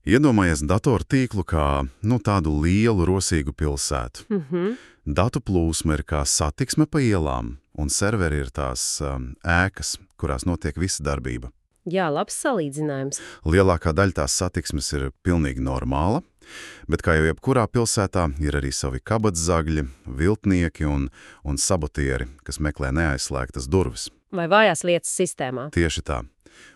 Iedomājies datortīklu kā tādu lielu, rosīgu pilsētu. Datu plūsma ir kā satiksme pa ielām, un serveri ir tās ēkas, kurās notiek visa darbība. Jā, labs salīdzinājums. Lielākā daļa tās satiksmes ir pilnīgi normāla, bet kā jau jebkurā pilsētā ir arī savi kabatzagļi, viltnieki un sabotieri, kas meklē neaizslēgtas durvis. Vai vājās lietas sistēmā. Tieši tā.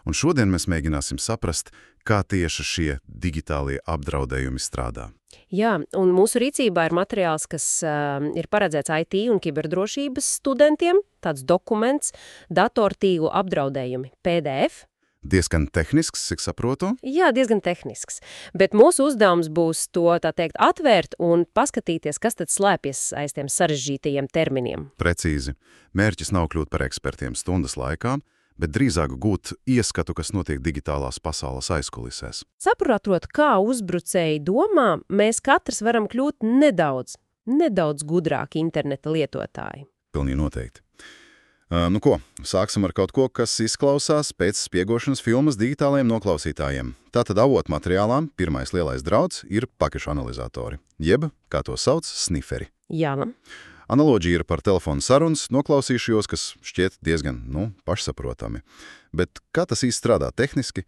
Un šodien mēs mēģināsim saprast, kā tieši šie digitālie apdraudējumi strādā. Jā, un mūsu rīcībā ir materiāls, kas ir paredzēts IT un kiberdrošības studentiem, tāds dokuments, datortīklu apdraudējumi, PDF. Diezgan tehnisks, cik saprotu? Jā, diezgan tehnisks, bet mūsu uzdevums būs to, tā teikt, atvērt un paskatīties, kas tad slēpjas aiz tiem sarežģītajiem terminiem. Precīzi. Mērķis nav kļūt par ekspertiem stundas laikā, bet drīzāk gūt ieskatu, kas notiek digitālās pasaules aizkulisēs. Saprotot, kā uzbrucēji domā, mēs katrs varam kļūt nedaudz gudrāki interneta lietotāji. Pilnīgi noteikti. Sāksim ar kaut ko, kas izklausās pēc spiegošanas filmas digitālajiem noklausītājiem. Tātad avotu materiālā pirmais lielais drauds ir pakešu analizatori, jeb, kā to sauc, sniferi. Jā. Analoģija ir par telefonu sarunas, noklausīšos, kas šķiet diezgan, pašsaprotami. Bet kā tas īsti strādā tehniski?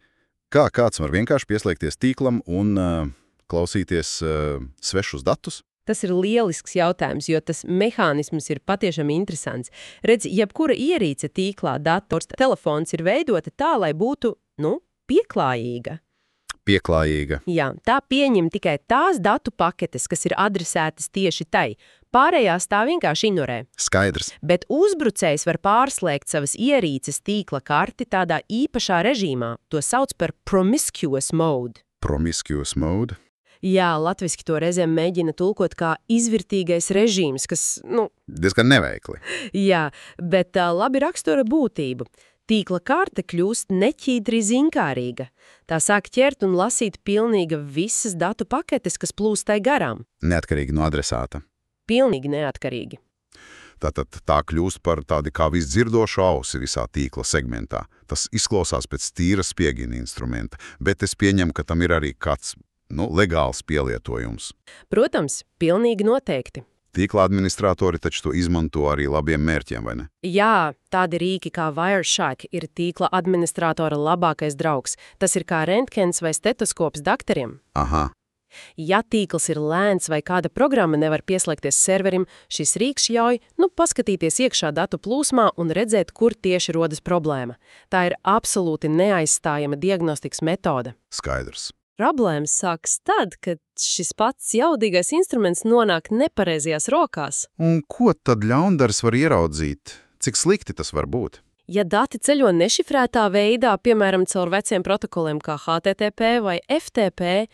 Kā kāds var vienkārši pieslēgties tīklam un klausīties svešus datus? Tas ir lielisks jautājums, jo tas mehānisms ir patiešām interesants. Redz, jebkura ierīce tīklā, dators, telefons ir veidota tā, lai būtu, pieklājīga. Pieklājīga. Jā, tā pieņem tikai tās datu paketes, kas ir adresētas tieši tai. Pārējās tā vienkārši ignorē. Skaidrs. Bet uzbrucējs var pārslēgt savas ierīces tīkla karti tādā īpašā režīmā. To sauc par promiscuous mode. Promiscuous mode? Jā, latviski to reizēm mēģina tulkot kā izvirtīgais režīms, kas, diezgan neveikli. Jā, bet labi rakstura būtību. Tīkla karte kļūst neķīdri zinkārīga. Tā sāk ķert un lasīt pilnīgi visas datu paketes, kas plūstai garām. Neatkarīgi no adresāta. Pilnīgi neatkarīgi. Tātad tā kļūst par tādi kā visdzirdošu ausi visā tīkla segmentā. Tas izklausās pēc tīra spiegina instrumenta, bet es pieņemu, ka tam ir arī kāds legāls pielietojums. Protams, pilnīgi noteikti. Tīkla administratori taču to izmanto arī labiem mērķiem, vai ne? Jā, tādi rīki kā Wireshark ir tīkla administratora labākais draugs. Tas ir kā rentgens vai stetoskops dakteriem. Aha. Ja tīkls ir lēns vai kāda programma nevar pieslēgties serverim, šis rīks ļauj, paskatīties iekšā datu plūsmā un redzēt, kur tieši rodas problēma. Tā ir absolūti neaizstājama diagnostikas metode. Skaidrs. Problēmas sākas tad, kad šis pats jaudīgais instruments nonāk nepareizajās rokās. Un ko tad ļaundaris var ieraudzīt? Cik slikti tas var būt? Ja dati ceļo nešifrētā veidā, piemēram, caur veciem protokoliem kā HTTP vai FTP,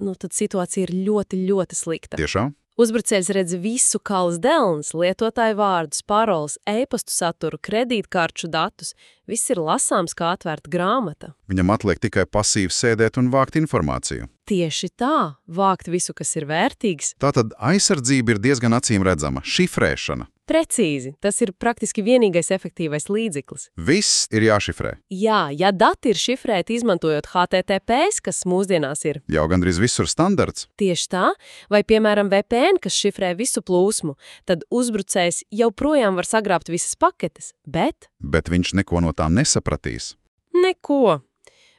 tad situācija ir ļoti, ļoti slikta. Tiešām? Uzbrucējs redz visu kalas delns, lietotāju vārdus, paroles, e-pastu saturu, kredītkarču datus. Viss ir lasāms kā atvērta grāmata. Viņam atliek tikai pasīvi sēdēt un vākt informāciju. Tieši tā, vākt visu, kas ir vērtīgs. Tātad aizsardzība ir diezgan acīm redzama, šifrēšana. Precīzi, tas ir praktiski vienīgais efektīvais līdzeklis. Viss ir jāšifrē. Jā, ja dati ir šifrēti izmantojot HTTPS, kas mūsdienās ir jau gandrīz visur standarts. Tieši tā, vai piemēram VPN, kas šifrē visu plūsmu, tad uzbrucējs joprojām var sagrābt visas paketes, bet viņš neko no tām nesapratīs. Neko.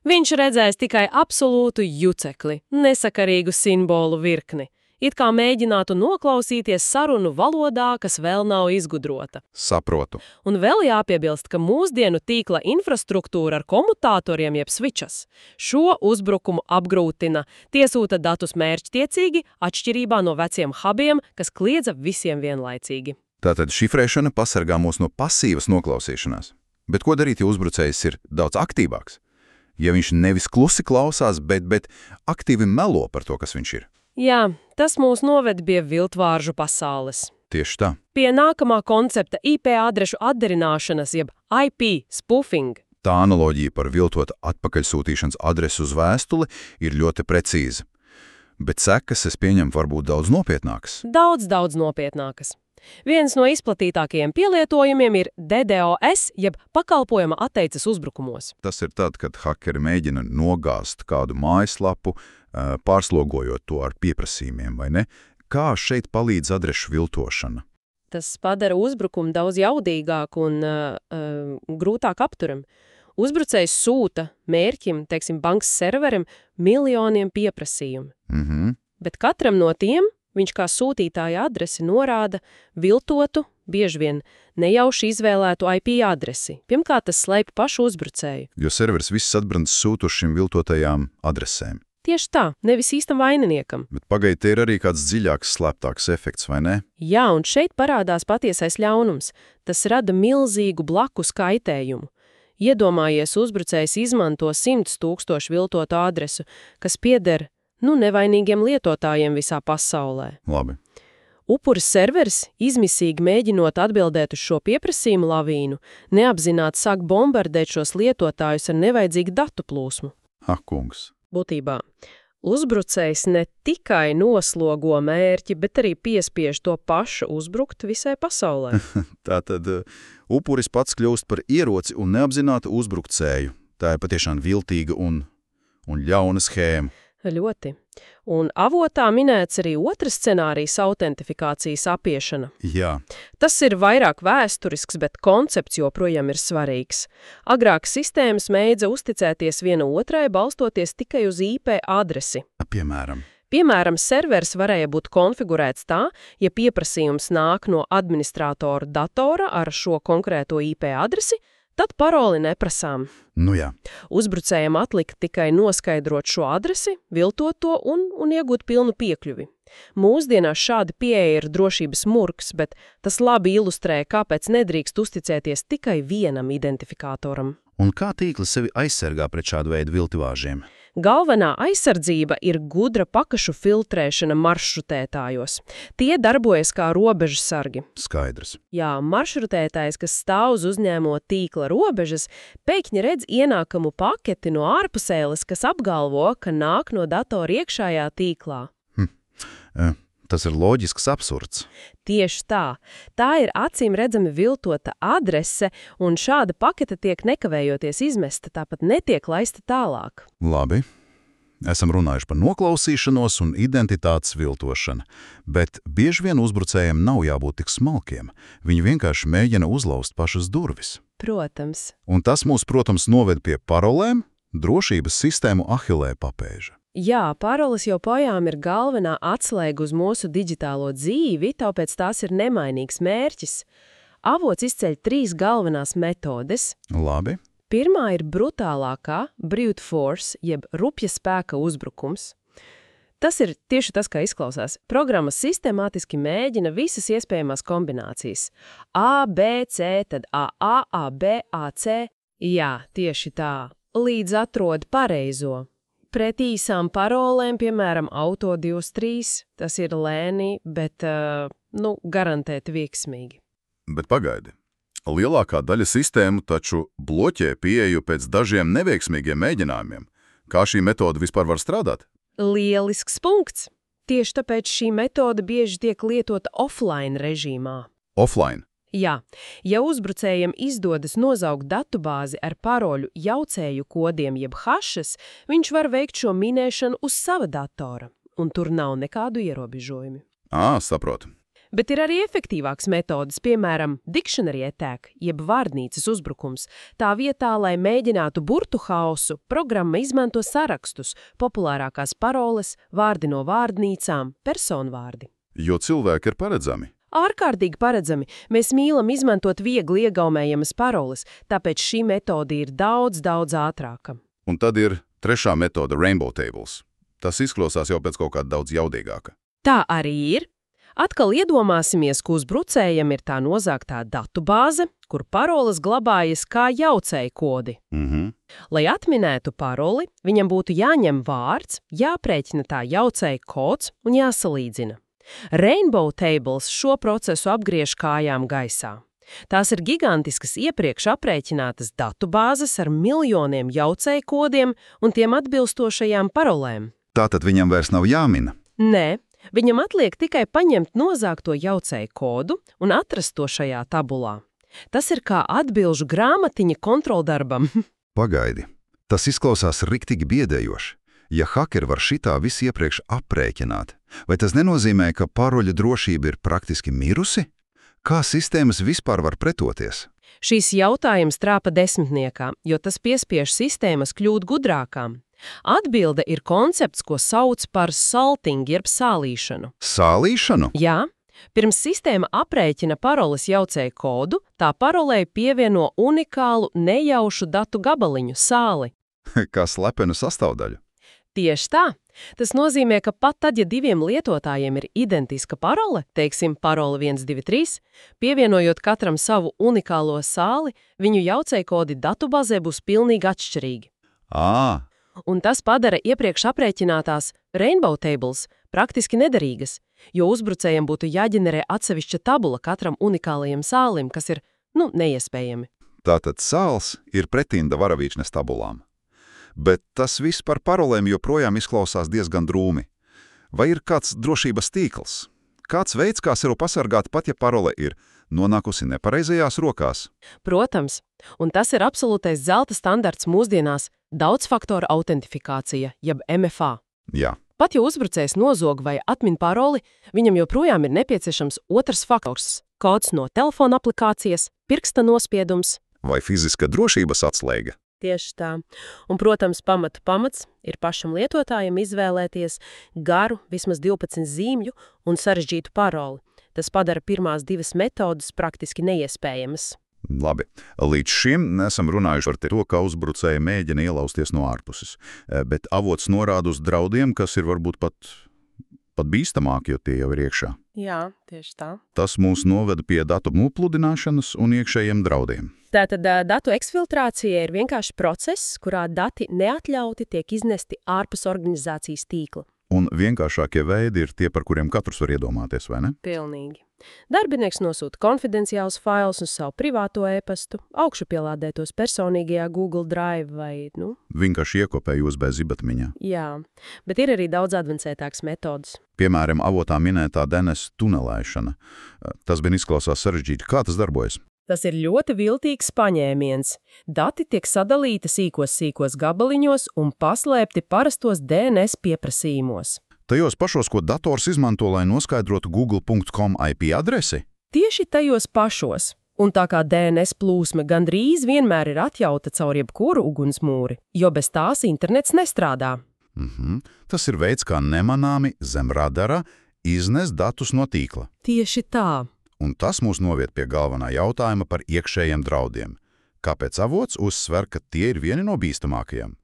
Viņš redzēs tikai absolūtu jucekli, nesakarīgu simbolu virkni. It kā mēģinātu noklausīties sarunu valodā, kas vēl nav izgudrota. Saprotu. Un vēl jāpiebilst, ka mūsdienu tīkla infrastruktūra ar komutatoriem jeb switches šo uzbrukumu apgrūtina. Tie sūta datus mērķtiecīgi, atšķirībā no veciem hubiem, kas kliedza visiem vienlaicīgi. Tātad šifrēšana pasargā mūs no pasīvas noklausīšanās. Bet ko darīt, ja uzbrucējs ir daudz aktīvāks? Ja viņš nevis klusi klausās, bet aktīvi melo par to, kas viņš ir. Jā, tas mūs noved pie viltvāržu pasaules. Tieši tā. Pie nākamā koncepta IP adrešu atdarināšanas, jeb IP spoofing. Tā analoģija par viltot atpakaļsūtīšanas adresu uz vēstuli ir ļoti precīza. Bet sekas, es pieņemu, var būt daudz nopietnākas. Daudz nopietnākas. Viens no izplatītākajiem pielietojumiem ir DDoS, jeb pakalpojuma atteices uzbrukumos. Tas ir tad, kad hakeri mēģina nogāzt kādu mājaslapu, pārslogojot to ar pieprasījumiem, vai ne? Kā šeit palīdz adrešu viltošana? Tas padara uzbrukumu daudz jaudīgāku un grūtāk apturam. Uzbrucējs sūta mērķim, teiksim, bankas serverim, miljoniem pieprasījumu. Bet katram no tiem viņš kā sūtītāja adresi norāda viltotu, bieži vien nejauši izvēlētu IP adresi. Pirmkārt, tas slēpj pašu uzbrucēju. Jo serveris viss atbrants sūtu uz šīm viltotajām adresēm. Tieši tā, nevis īstam vaininiekam. Bet pagaidi, te ir arī kāds dziļāks, slēptāks efekts, vai ne? Jā, un šeit parādās patiesais ļaunums. Tas rada milzīgu blakus kaitējumu. Iedomājies, uzbrucējs izmanto 100 000 viltotu adresu, kas pieder, nevainīgiem lietotājiem visā pasaulē. Labi. Upuris serveris, izmisīgi mēģinot atbildēt uz šo pieprasījumu lavīnu, neapzināti sāk bombardēt šos lietotājus ar nevajadzīgu datu plūsmu. Ak, kungs. Būtībā, uzbrucējs ne tikai noslogo mērķi, bet arī piespiež to pašu uzbrukt visai pasaulē. Tātad upuris pats kļūst par ieroci un neapzinātu uzbrucēju. Tā ir patiešām viltīga un ļauna schēma. Ļoti. Un avotā minēts arī otrs scenārijs - autentifikācijas apiešana. Jā. Tas ir vairāk vēsturisks, bet koncepts joprojām ir svarīgs. Agrāk sistēmas mēdza uzticēties viena otrai, balstoties tikai uz IP adresi. Piemēram, serveris varēja būt konfigurēts tā, ja pieprasījums nāk no administrātora datora ar šo konkrēto IP adresi, tad paroli neprasām. Jā. Uzbrucējiem atlika tikai noskaidrot šo adresi, viltot to un iegūt pilnu piekļuvi. Mūsdienās šāda pieeja ir drošības murgs, bet tas labi ilustrē, kāpēc nedrīkst uzticēties tikai vienam identifikātoram. Un kā tīkli sevi aizsargā pret šādu veidu viltivāžiem? Galvenā aizsardzība ir gudra pakašu filtrēšana maršrutētājos. Tie darbojas kā robežsargi. Skaidrs. Jā, maršrutētājs, kas stāv uz uzņēmo tīkla robežas, pēkšņi redz ienākamu paketi no ārpusēles, kas apgalvo, ka nāk no datora iekšējā tīklā. Tas ir loģisks absurds. Tieši tā. Tā ir acīm redzami viltota adrese, un šāda pakete tiek nekavējoties izmesta, tāpat netiek laista tālāk. Labi. Esam runājuši par noklausīšanos un identitātes viltošanu, bet bieži vien uzbrucējiem nav jābūt tik smalkiem. Viņi vienkārši mēģina uzlauzt pašas durvis. Protams. Un tas mūs, protams, noved pie parolēm, drošības sistēmu ahilē papēža. Jā, paroles joprojām ir galvenā atslēga uz mūsu digitālo dzīvi, tāpēc tās ir nemainīgs mērķis. Avots izceļ 3 galvenās metodes. Labi. Pirmā ir brutālākā brute force, jeb rupja spēka uzbrukums. Tas ir tieši tas, kā izklausās. Programma sistemātiski mēģina visas iespējamās kombinācijas. A, B, C, tad A, A, B, A, C. Jā, tieši tā. Līdz atrod pareizo. Pret īsām parolēm, piemēram, auto 23, tas ir lēni, bet, garantēti veiksmīgi. Bet pagaidi. Lielākā daļa sistēmu taču bloķē pieeju pēc dažiem neveiksmīgiem mēģinājumiem. Kā šī metode vispār var strādāt? Lielisks punkts. Tieši tāpēc šī metode bieži tiek lietota offline režīmā. Offline? Jā, ja uzbrucējiem izdodas nozaugt datubāzi ar paroļu jaucēju kodiem jeb hašas, viņš var veikt šo minēšanu uz sava datora, un tur nav nekādu ierobežojumi. Saprotu. Bet ir arī efektīvāks metodas, piemēram, dictionary attack, jeb vārdnīcas uzbrukums. Tā vietā, lai mēģinātu burtu hausu, programma izmanto sarakstus, populārākās paroles, vārdi no vārdnīcām, personvārdi. Jo cilvēki ir paredzami. Ārkārtīgi paredzami. Mēs mīlam izmantot viegli iegaumējamas paroles, tāpēc šī metode ir daudz ātrāka. Un tad ir trešā metode Rainbow Tables. Tas izklausās jau pēc kaut kāda daudz jaudīgāka. Tā arī ir. Atkal iedomāsimies, ka uzbrucējam ir tā nozāgtā datubāze, kur paroles glabājas kā jaucēju kodi. Lai atminētu paroli, viņam būtu jāņem vārds, jāprēķina tā jaucēju kods un jāsalīdzina. Rainbow Tables šo procesu apgriež kājām gaisā. Tās ir gigantiskas iepriekš aprēķinātas datubāzes ar miljoniem jaucēju kodiem un tiem atbilstošajām parolēm. Tātad viņam vairs nav jāmina? Nē, viņam atliek tikai paņemt nozāgto jaucēju kodu un atrast to šajā tabulā. Tas ir kā atbilžu grāmatiņa kontroldarbam. Pagaidi, tas izklausās riktīgi biedējoši. Ja hakeri var šitā visu iepriekš aprēķināt, vai tas nenozīmē, ka paroļu drošība ir praktiski mirusi? Kā sistēmas vispār var pretoties? Šīs jautājums trāpa desmitniekā, jo tas piespiež sistēmas kļūt gudrākām. Atbilde ir koncepts, ko sauc par salting, jeb sālīšanu. Sālīšanu? Jā, pirms sistēma aprēķina paroles jaucēju kodu, tā parolei pievieno unikālu nejaušu datu gabaliņu sāli. Kā slepenu sastāvdaļu? Tieši tā. Tas nozīmē, ka pat tad, ja diviem lietotājiem ir identiska parole, teiksim, parole 123, pievienojot katram savu unikālo sāli, viņu jaucējkodi datubazē būs pilnīgi atšķirīgi. Un tas padara iepriekš aprēķinātās Rainbow Tables praktiski nederīgas, jo uzbrucējiem būtu jāģenerē atsevišķa tabula katram unikālajam sālim, kas ir, neiespējami. Tātad sāls ir pretinda varavīkšņas tabulām. Bet tas viss par parolēm joprojām izklausās diezgan drūmi. Vai ir kāds drošības tīkls? Kāds veids, kā sev pasargāt, pat ja parole ir nonākusi nepareizajās rokās? Protams, un tas ir absolūtais zelta standarts mūsdienās – daudzfaktora autentifikācija, jeb MFA. Jā. Pat ja uzbrucējs nozog vai atmin paroli, viņam joprojām ir nepieciešams otrs faktors – kods no telefona aplikācijas, pirksta nospiedums. Vai fiziska drošības atslēga? Tieši tā. Un, protams, pamats ir pašam lietotājam izvēlēties garu, vismaz 12 zīmju un sarežģītu paroli. Tas padara pirmās divas metodas praktiski neiespējamas. Labi. Līdz šim nesam runājuši par to, kā uzbrucēji mēģina ielausties no ārpuses, bet avots norāda uz draudiem, kas ir varbūt pat bīstamāki, jo tie jau ir iekšā. Jā, tieši tā. Tas mūs noveda pie datu nopludināšanas un iekšējiem draudiem. Tātad datu eksfiltrācija ir vienkārši process, kurā dati neatļauti tiek iznesti ārpus organizācijas tīkla. Un vienkāršākie veidi ir tie, par kuriem katrs var iedomāties, vai ne? Pilnīgi. Darbinieks nosūta konfidenciālus failus uz savu privāto e-pastu, augšupielādētos personīgajā Google Drive vai, Vienkārši iekopē USB zibatmiņā. Jā, bet ir arī daudz advancētāks metodas. Piemēram, avotā minētā DNS tunelēšana. Tas bija izklausās sarežģīti. Kā tas darbojas? Tas ir ļoti viltīgs paņēmiens. Dati tiek sadalīti sīkos gabaliņos un paslēpti parastos DNS pieprasījumos. Tajos pašos, ko dators izmanto, lai noskaidrotu google.com IP adresi? Tieši tajos pašos. Un tā kā DNS plūsma gandrīz vienmēr ir atjauta caur jebkuru ugunsmūri, jo bez tās internets nestrādā. Tas ir veids, kā nemanāmi zem radara iznest datus no tīkla. Tieši tā. Un tas mūs noviet pie galvenā jautājuma par iekšējiem draudiem. Kāpēc avots uzsver, ka tie ir vieni no bīstamākajiem?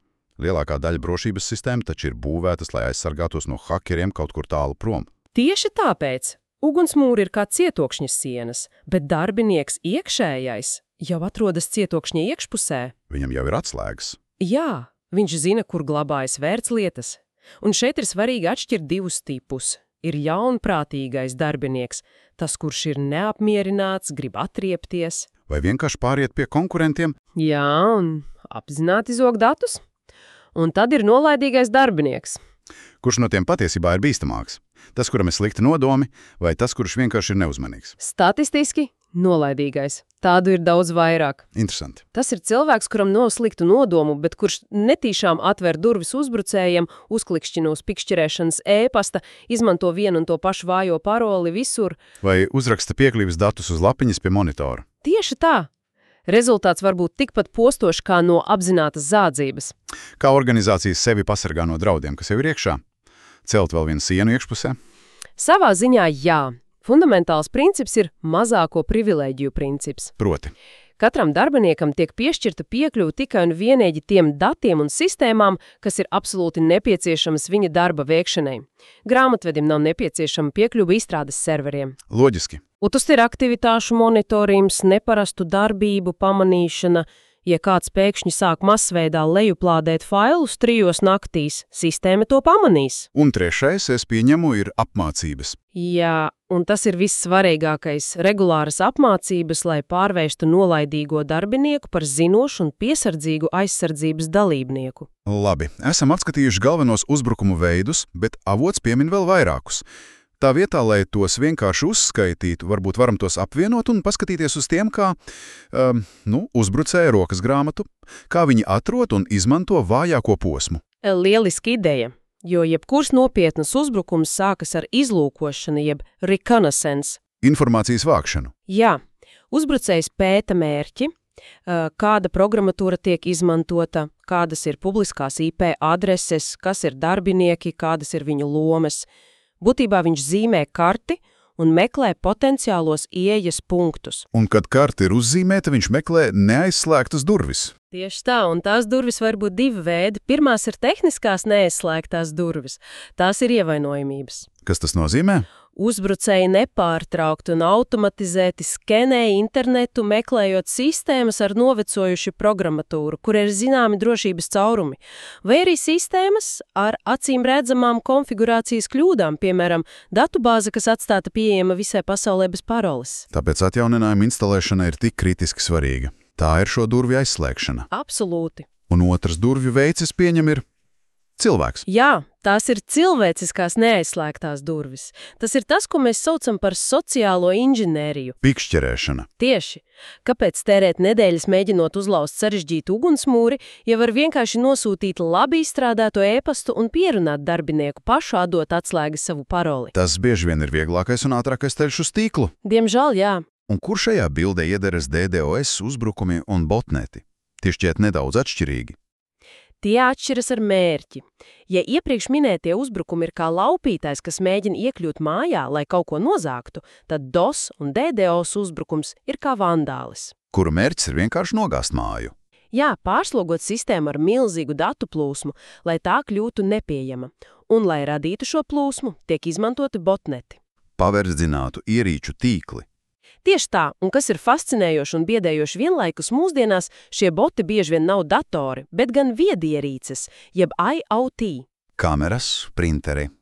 Lielākā daļa drošības sistēma taču ir būvētas, lai aizsargātos no hakeriem kaut kur tālu prom. Tieši tāpēc ugunsmūri ir kā cietokšņa sienas, bet darbinieks iekšējais jau atrodas cietokšņa iekšpusē. Viņam jau ir atslēgas. Jā, viņš zina, kur glabājas vērtslietas. Un šeit ir svarīgi atšķirt divus tipus. Ir jaunprātīgais darbinieks, tas, kurš ir neapmierināts, grib atriepties. Vai vienkārši pāriet pie konkurentiem? Jā, un apzināti zog datus. Un tad ir nolaidīgais darbinieks. Kurš no tiem patiesībā ir bīstamāks? Tas, kuram ir slikti nodomi, vai tas, kurš vienkārši ir neuzmanīgs? Statistiski nolaidīgais. Tādu ir daudz vairāk. Interesanti. Tas ir cilvēks, kuram nav sliktu nodomu, bet kurš netīšām atver durvis uzbrucējiem, uzklikšķina uz pikšķirēšanas e-pasta, izmanto vienu un to pašu vājo paroli visur. Vai uzraksta piekļuves datus uz lapiņas pie monitora? Tieši tā. Rezultāts var būt tikpat postošs kā no apzinātas zādzības. Kā organizācijas sevi pasargā no draudiem, kas jau ir iekšā? Celt vēl vienu sienu iekšpusē? Savā ziņā jā. Fundamentāls princips ir mazāko privilēģiju princips. Proti? Katram darbiniekam tiek piešķirta piekļuve tikai un vienīgi tiem datiem un sistēmām, kas ir absolūti nepieciešamas viņa darba veikšanai. Grāmatvedim nav nepieciešama piekļuve izstrādes serveriem. Loģiski. Un tas ir aktivitāšu monitorings, neparastu darbību pamanīšana. Ja kāds pēkšņi sāk masveidā lejuplādēt failus 3 naktīs, sistēma to pamanīs. Un trešais, es pieņemu, ir apmācības. Jā, un tas ir vissvarīgākais – regulāras apmācības, lai pārvērstu nolaidīgo darbinieku par zinošu un piesardzīgu aizsardzības dalībnieku. Labi, esam atskatījuši galvenos uzbrukumu veidus, bet avots piemin vēl vairākus. Tā vietā, lai tos vienkārši uzskaitītu, varbūt varam tos apvienot un paskatīties uz tiem, kā uzbrucēja rokas grāmatu, kā viņi atrod un izmanto vājāko posmu. Lieliska ideja, jo jebkurs nopietnas uzbrukums sākas ar izlūkošanu jeb reconnaissance. Informācijas vākšanu. Jā, uzbrucējs pēta mērķi, kāda programmatūra tiek izmantota, kādas ir publiskās IP adreses, kas ir darbinieki, kādas ir viņu lomas. Būtībā viņš zīmē karti un meklē potenciālos ieejas punktus. Un, kad karta ir uzzīmēta, viņš meklē neaizslēgtas durvis. Tieši tā, un tās durvis var būt divi veidi. Pirmās ir tehniskās neaizslēgtās durvis. Tās ir ievainojamības. Kas tas nozīmē? Uzbrucēji nepārtraukti un automatizēti skenē internetu, meklējot sistēmas ar novecojušu programmatūru, kur ir zināmi drošības caurumi, vai arī sistēmas ar acīm redzamām konfigurācijas kļūdām, piemēram, datubāze, kas atstāta pieejama visai pasaulē bez paroles. Tāpēc atjauninājuma instalēšana ir tik kritiski svarīga. Tā ir šo durvju aizslēgšana. Absolūti. Un otrs durvju veids, es pieņemu, ir cilvēks. Jā, tās ir cilvēciskās neaizslēgtās durvis. Tas ir tas, ko mēs saucam par sociālo inženēriju. Pikšķerēšana. Tieši. Kāpēc tērēt nedēļas mēģinot uzlauzt sarežģītu ugunsmūri, ja var vienkārši nosūtīt labi izstrādāto e-pastu un pierunāt darbinieku pašu atdot atslēgas savu paroli? Tas bieži vien ir vieglākais un ātrākais ceļš uz tīklu. Diemžēl, jā. Un kur šajā bildē iederas DDoS uzbrukumi un botneti? Tie šķiet nedaudz atšķirīgi. Tie atšķiras ar mērķi. Ja iepriekš minētie uzbrukumi ir kā laupītājs, kas mēģina iekļūt mājā, lai kaut ko nozāktu, tad DOS un DDoS uzbrukums ir kā vandālis. Kuru mērķis ir vienkārši nogāzt māju. Jā, pārslogot sistēmu ar milzīgu datu plūsmu, lai tā kļūtu nepieejama. Un, lai radītu šo plūsmu, tiek izmantoti botneti. Paverdzinātu ierīču tīkli. Tieši tā, un kas ir fascinējoši un biedējoši vienlaikus mūsdienās, šie boti bieži vien nav datori, bet gan viedierīces, jeb IoT. Kameras, printeri.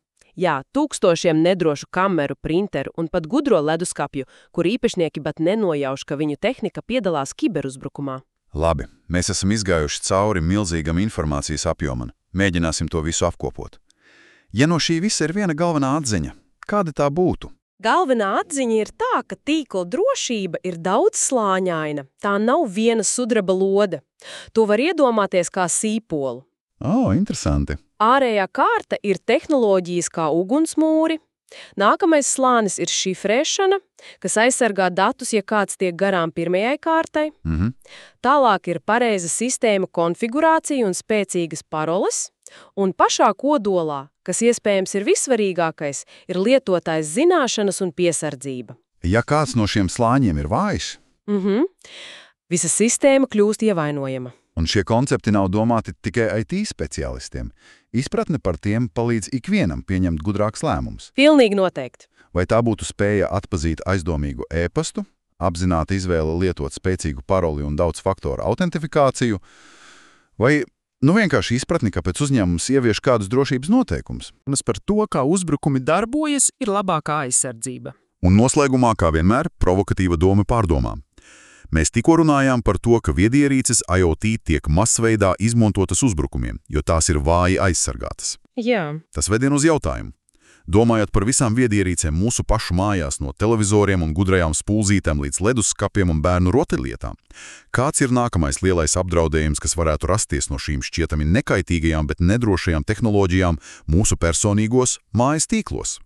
Jā, tūkstošiem nedrošu kameru, printeru un pat gudro leduskapju, kur īpašnieki pat nenojauš, ka viņu tehnika piedalās kiberuzbrukumā. Labi, mēs esam izgājuši cauri milzīgam informācijas apjomam. Mēģināsim to visu apkopot. Ja no šī visa ir viena galvenā atziņa, kāda tā būtu? Galvenā atziņa ir tā, ka tīkla drošība ir daudz slāņaina. Tā nav viena sudraba lode. To var iedomāties kā sīpolu. Interesanti. Ārējā kārta ir tehnoloģijas kā ugunsmūri. Nākamais slānis ir šifrēšana, kas aizsargā datus, ja kāds tiek garām pirmajai kārtai. Tālāk ir pareiza sistēma konfigurācija un spēcīgas paroles. Un pašā kodolā, kas iespējams ir vissvarīgākais, ir lietotājs zināšanas un piesardzība. Ja kāds no šiem slāņiem ir vājš, visa sistēma kļūst ievainojama. un šie koncepti nav domāti tikai IT speciālistiem, izpratne par tiem palīdz ikvienam pieņemt gudrāks lēmums. Pilnīgi noteikti. Vai tā būtu spēja atpazīt aizdomīgu e-pastu, apzināta izvēle lietot spēcīgu paroli un daudz faktoru autentifikāciju, vai vienkārši izpratni, kāpēc uzņēmums ievieš kādus drošības noteikumus. Par to, kā uzbrukumi darbojas, ir labākā aizsardzība. Un noslēgumā, kā vienmēr, provokatīva doma pārdomām. Mēs tikko runājām par to, ka viedierīces IoT tiek masveidā izmantotas uzbrukumiem, jo tās ir vāji aizsargātas. Jā. Tas vedien uz jautājumu. Domājot par visām viedierīcēm mūsu pašu mājās, no televizoriem un gudrajām spulzītēm līdz leduskapiem un bērnu rotaļlietām, kāds ir nākamais lielais apdraudējums, kas varētu rasties no šīm šķietami nekaitīgajām, bet nedrošajām tehnoloģijām mūsu personīgos mājas tīklos?